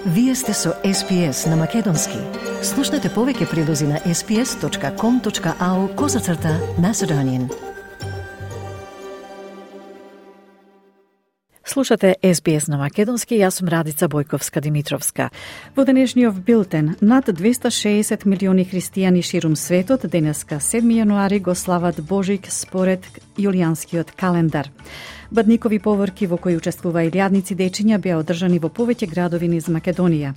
Вие сте со SPS на Македонски. Слушнете повеќе прилози на sps.com.au/Macedonian. Слушате SBS на Македонски, јас сум Радица Бојковска-Димитровска. Во денешниот билтен, над 260 милиони христијани ширум светот денеска 7 јануари го слават Божик според јулијанскиот календар. Бадникови поворки во кои учествува илјадници дечиња беа одржани во повеќе градови низ Македонија.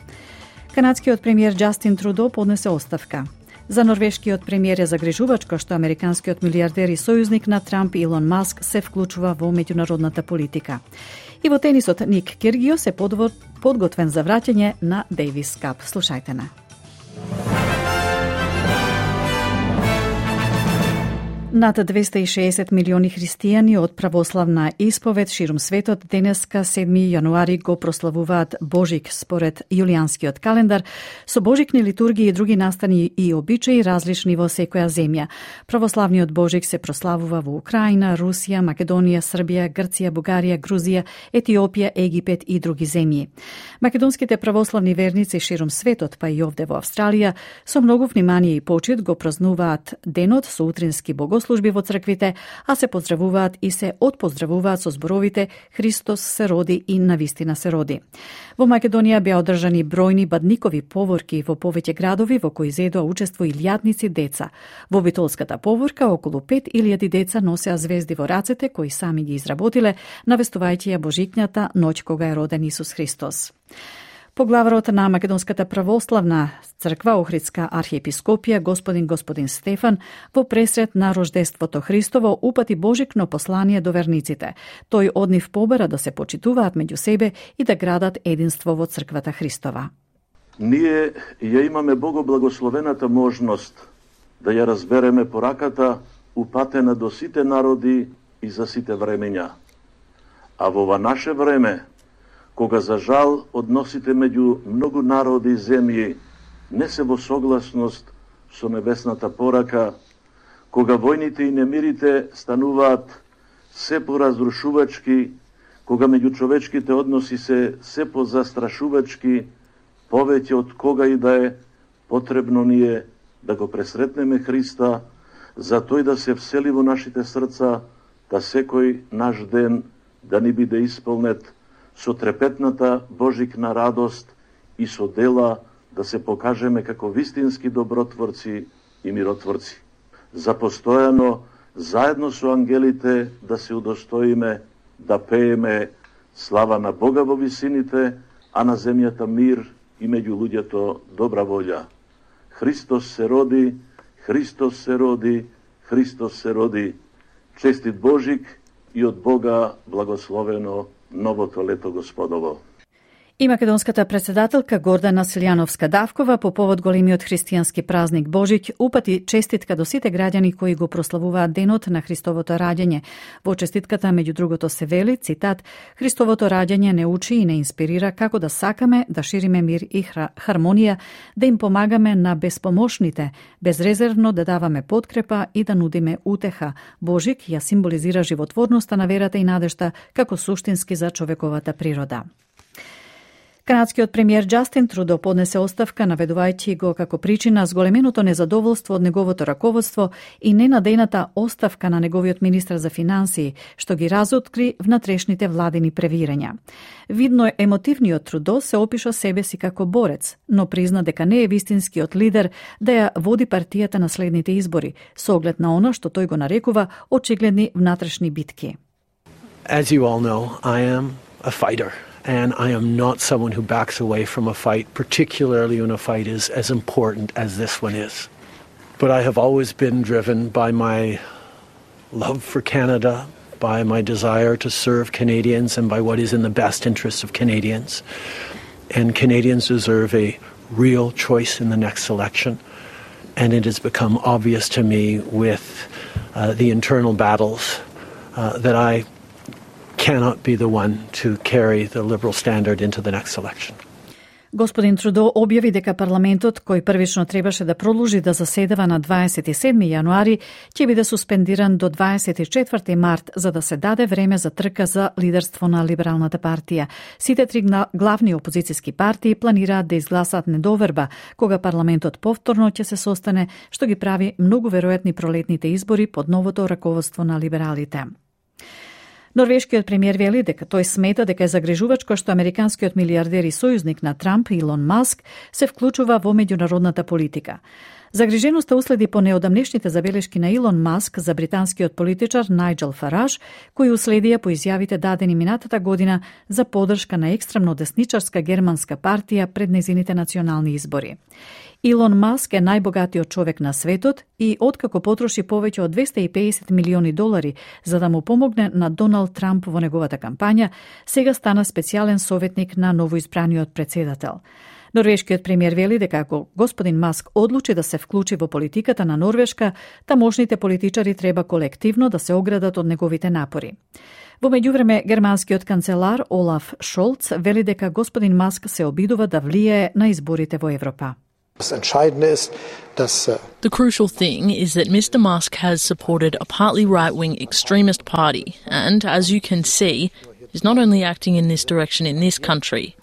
Канадскиот премиер Џастин Трудо поднесе оставка. За норвешкиот премиер е загрижувачко што американскиот милиардер и сојузник на Трамп Илон Маск се вклучува во меѓународната политика. И во тенисот Ник Киргиос е подготвен за враќање на Дейвис Кап. Слушајте на. Над 260 милиони христијани од православна исповед ширум светот денеска 7 јануари го прославуваат Божик според јулијанскиот календар со божикни литургии и други настани и обичаи различни во секоја земја. Православниот Божик се прославува во Украина, Русија, Македонија, Србија, Грција, Бугарија, Грузија, Етиопија, Египет и други земји. Македонските православни верници ширум светот, па и овде во Австралија, со многу внимание и почит го празнуваат денот со утрински богослужби во црквите, а се поздравуваат и се отпоздравуваат со зборовите Христос се роди и навистина се роди. Во Македонија беа одржани бројни бадникови поворки во повеќе градови во кои зедоа учество илјадници деца. Во битолската поворка околу 5000 деца носеа звезди во рацете кои сами ги изработиле, навестувајќи ја Божикњата ноќ кога е роден Исус Христос. Поглаварот на Македонската православна црква Охридска архиепископија господин Стефан во пресрет на рождеството Христово упати божикно послание до верниците. Тој од нив побара да се почитуваат меѓу себе и да градат единство во црквата Христова. Ние ја имаме богоблагословената можност да ја разбереме пораката упатена до сите народи и за сите времења. А во ова наше време, кога за жал односите меѓу многу народи и земји не се во согласност со небесната порака, кога војните и немирите стануваат се поразрушувачки, кога меѓучовечките односи се позастрашувачки, повеќе од кога и да е, потребно ни е да го пресретнеме Христа, за тој да се всели во нашите срца, да секој наш ден да ни биде исполнет со трепетната божикна радост и со дела да се покажеме како вистински добротворци и миротворци. За постојано, заедно со ангелите, да се удостоиме да пееме слава на Бога во висините, а на земјата мир и меѓу луѓето добра волја. Христос се роди, Христос се роди, Христос се роди. Честит Божик и од Бога благословено новото лето Господово. И македонската председателка Гордана Силјановска-Давкова по повод големиот христијански празник Божик упати честитка до сите граѓани кои го прославуваат денот на Христовото раѓање. Во честитката меѓу другото се вели, цитат, Христовото раѓање не учи и не инспирира како да сакаме да шириме мир и хармонија, да им помагаме на безпомошните, безрезервно да даваме подкрепа и да нудиме утеха. Божик ја символизира животворноста на верата и надежта како суштински за човековата природа. Канадскиот премиер Џастин Трудо поднесе оставка, наведувајќи го како причина зголеменото незадоволство од неговото раководство и ненадејната оставка на неговиот министар за финансии, што ги разоткри внатрешните владини превирања. Видно емотивниот Трудо се опиша себе си како борец, но призна дека не е вистинскиот лидер да ја води партијата на следните избори, со оглед на она што тој го нарекува очигледни внатрешни битки. As you all know, I am a fighter. And I am not someone who backs away from a fight, particularly when a fight is as important as this one is. But I have always been driven by my love for Canada, by my desire to serve Canadians, and by what is in the best interests of Canadians. And Canadians deserve a real choice in the next election. And it has become obvious to me with the internal battles that I cannot be the one to carry the Liberal standard into the next election. Господин Трудо објави дека парламентот, кој првично требаше да продолжи да заседава на 27. јануари, ќе биде суспендиран до 24. март за да се даде време за трка за лидерство на Либералната партија. Сите три главни опозицијски партии планираат да изгласаат недоверба кога парламентот повторно ќе се состане, што ги прави многу веројатни пролетните избори под новото раководство на либералите. Норвешкиот премиер вели дека тој смета дека е загрижувачко што американскиот милиардер и сојузник на Трамп, Илон Маск, се вклучува во меѓународната политика. Загриженоста уследи по неодамнешните забелешки на Илон Маск за британскиот политичар Најджел Фараж, кои уследија по изјавите дадени минатата година за поддршка на екстремно десничарска германска партија пред незините национални избори. Илон Маск е најбогатиот човек на светот и откако потроши повеќе од $250 милиони за да му помогне на Доналд Трамп во неговата кампања, сега стана специјален советник на новоизбраниот претседател. Норвешкиот премиер вели дека ако господин Маск одлучи да се вклучи во политиката на Норвешка, тамошните политичари треба колективно да се оградат од неговите напори. Во меѓувреме, германскиот канцелар Олаф Шолц вели дека господин Маск се обидува да влијае на изборите во Европа. The crucial thing is that Mr. Musk has supported a partly right-wing extremist party and, as you can see, is not only acting in this direction in this country.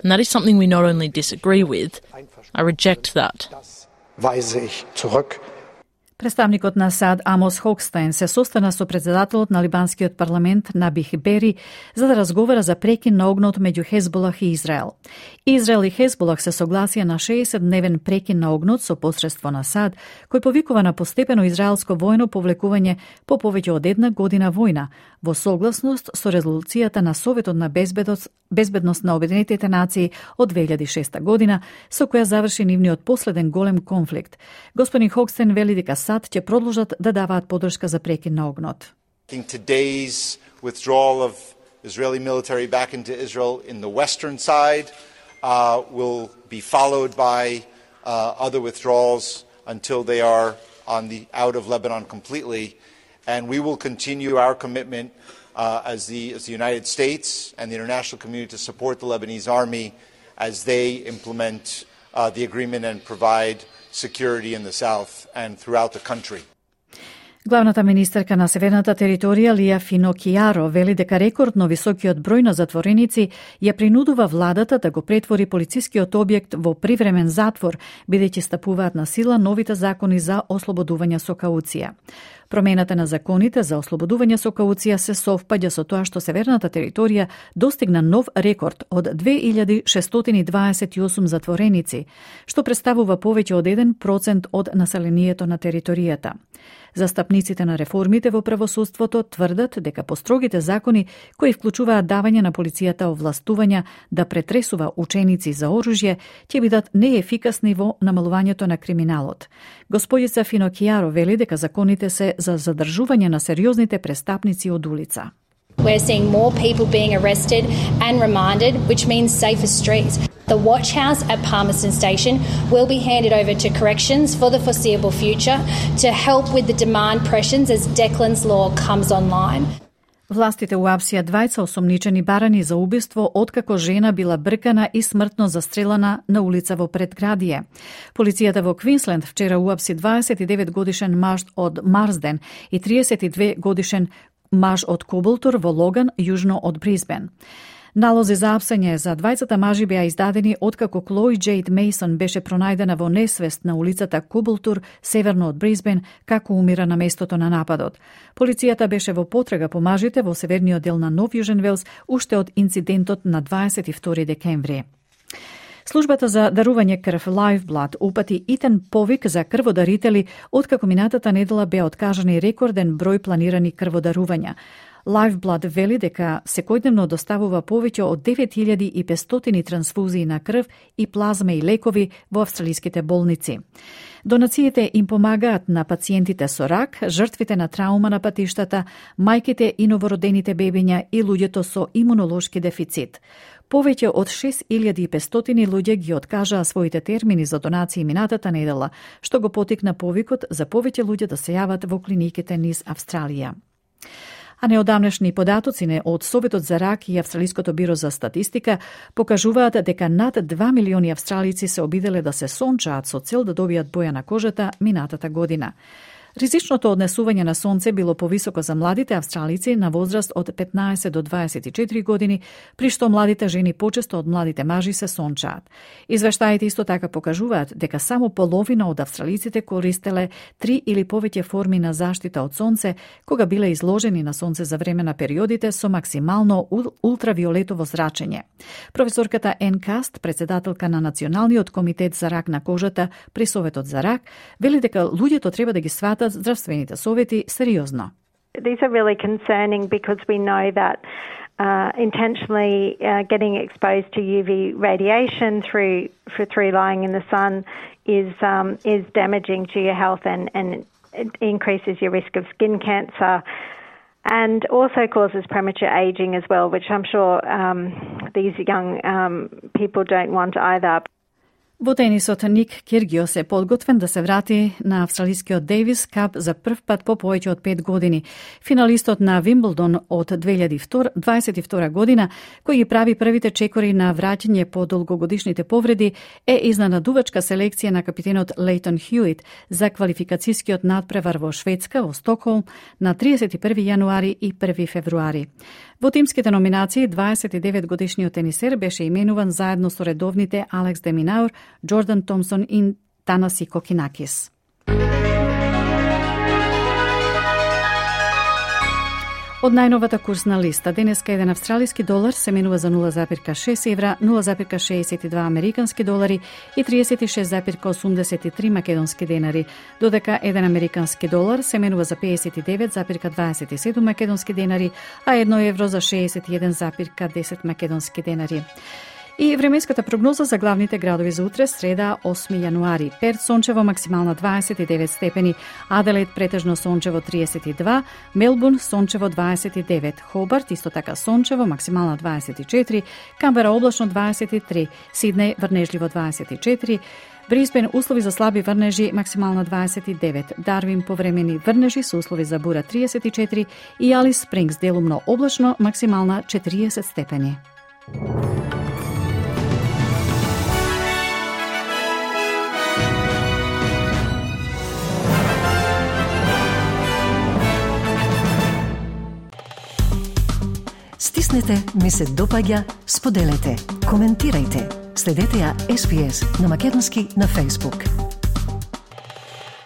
And that is something we not only disagree with, I reject that. Представникот на САД Амос Хокстайн се состана со председателот на либанскиот парламент Набих Бери за да разговара за прекин на огнот меѓу Хезболах и Израел. Израел и Хезболах се согласија на 60-дневен прекин на огнот со посредство на САД, кој повикува на постепено израелско војно повлекување по повеќе од една година војна, во согласност со резолуцијата на Советот на безбедност на Обединетите нации од 2006 година, со која заврши нивниот последен голем конфликт. Господин Хокстен вели дека САД ќе продолжат да даваат поддршка за прекин на огнот. Today's withdrawal of Israeli military back into Israel in the western side will be followed by other withdrawals until they are out of Lebanon completely. And we will continue our commitment as the United States and the international community to support the Lebanese army as they implement the agreement and provide security in the south and throughout the country. Главната министерка на Северната територија Лија Финокијаро вели дека рекордно високиот број на затвореници ја принудува владата да го претвори полицискиот објект во привремен затвор, бидејќи стапуваат на сила новите закони за ослободување со кауција. Промената на законите за ослободување со кауција се совпаѓа со тоа што Северната територија достигна нов рекорд од 2628 затвореници, што представува повеќе од 1% од населението на територијата. Застапниците на реформите во правосудството тврдат дека построгите закони кои вклучуваат давање на полицијата овластувања да претресува ученици за оружје ќе бидат неефикасни во намалувањето на криминалот. Господица Финокијаро вели дека законите се за задржување на сериозните престапници од улица. We're seeing more people being arrested and remanded, which means safer streets. The watch house at Palmerston Station will be handed over to corrections for the foreseeable future to help with the demand pressures as Declan's Law comes online. Властите уапсија двајца осомничени барани за убиство откако жена била бркана и смртно застрелана на улица во предградие. Полицијата во Квинсленд вчера уапси 29-годишен маж од Марсден и 32-годишен маж од Коболтур во Логан, јужно од Брисбен. Налози за апсење за двајцата мажи беа издадени откако Клој Джейд Мейсон беше пронајдена во несвест на улицата Коболтур, северно од Брисбен, како умира на местото на нападот. Полицијата беше во потрага по мажите во северниот дел на Нов Јужен Велс уште од инцидентот на 22 декември. Службата за дарување крв Lifeblood упати итен повик за крводарители откако минатата недела беа откажани рекорден број планирани крводарувања. Lifeblood вели дека секојдневно доставува повеќе од 9500 трансфузии на крв и плазма и лекови во австралиските болници. Донациите им помагаат на пациентите со рак, жртвите на траума на патиштата, мајките и новородените бебиња и луѓето со имунолошки дефицит. Повеќе од 6500 луѓе ги откажаа своите термини за донации минатата недела, што го потикна повикот за повеќе луѓе да се јават во клиниките низ Австралија. А неодамнешни податоци од Советот за рак и Австралиското биро за статистика покажуваат дека над 2 милиони австралици се обиделе да се сончаат со цел да добијат боја на кожата минатата година. Ризичното однесување на сонце било повисоко за младите австралици на возраст од 15 до 24 години, при што младите жени почесто од младите мажи се сончаат. Извештаите исто така покажуваат дека само половина од австралиците користеле 3 или повеќе форми на заштита од сонце кога биле изложени на сонце за време на периодите со максимално ултравиолетово зрачење. Професорката Ен Каст, председателка на Националниот комитет за рак на кожата при Советот за рак, вели дека луѓето треба да ги сватат здравствените совети сериозно. These are really concerning because we know that intentionally getting exposed to UV radiation through lying in the sun is damaging to your health and it increases your risk of skin cancer and also causes premature aging as well, which I'm sure these young people don't want either. Во тенисот Ник Киргиос е подготвен да се врати на австралискиот Дейвис Кап за прв пат по повеќе од 5 години. Финалистот на Вимблдон од 2022 година, кој ги прави првите чекори на враќање по долгогодишните повреди, е изненадувачка селекција на капитенот Лейтон Хјуит за квалификацијскиот надпревар во Шведска, во Стокхолм, на 31 јануари и 1 февруари. Во тимските номинации, 29-годишниот тенисер беше именуван заедно со редовните Алекс де Минаур, Джордан Томсон и Танаси Кокинакис. Од најновата курсна листа, денеска еден австралиски долар се менува за 0,6 евра, 0,62 американски долари и 36,83 македонски денари, додека еден американски долар се менува за 59,27 македонски денари, а 1 евро за 61,10 македонски денари. И временската прогноза за главните градови за утре, среда, 8 јануари. Перт сончево, максимална 29 степени, Аделаид претежно сончево 32, Мелбурн сончево 29, Хобарт исто така сончево, максимална 24, Камбера облачно 23, Сиднеј врнежливо 24, Брисбен услови за слаби врнежи, максимална 29, Дарвин повремени врнежи со услови за бура 34 и Алис Спрингс делумно облачно, максимална 40 степени. Стиснете, ми се допаѓа, споделете, коментирајте. Следете ја SPS на Македонски на Facebook.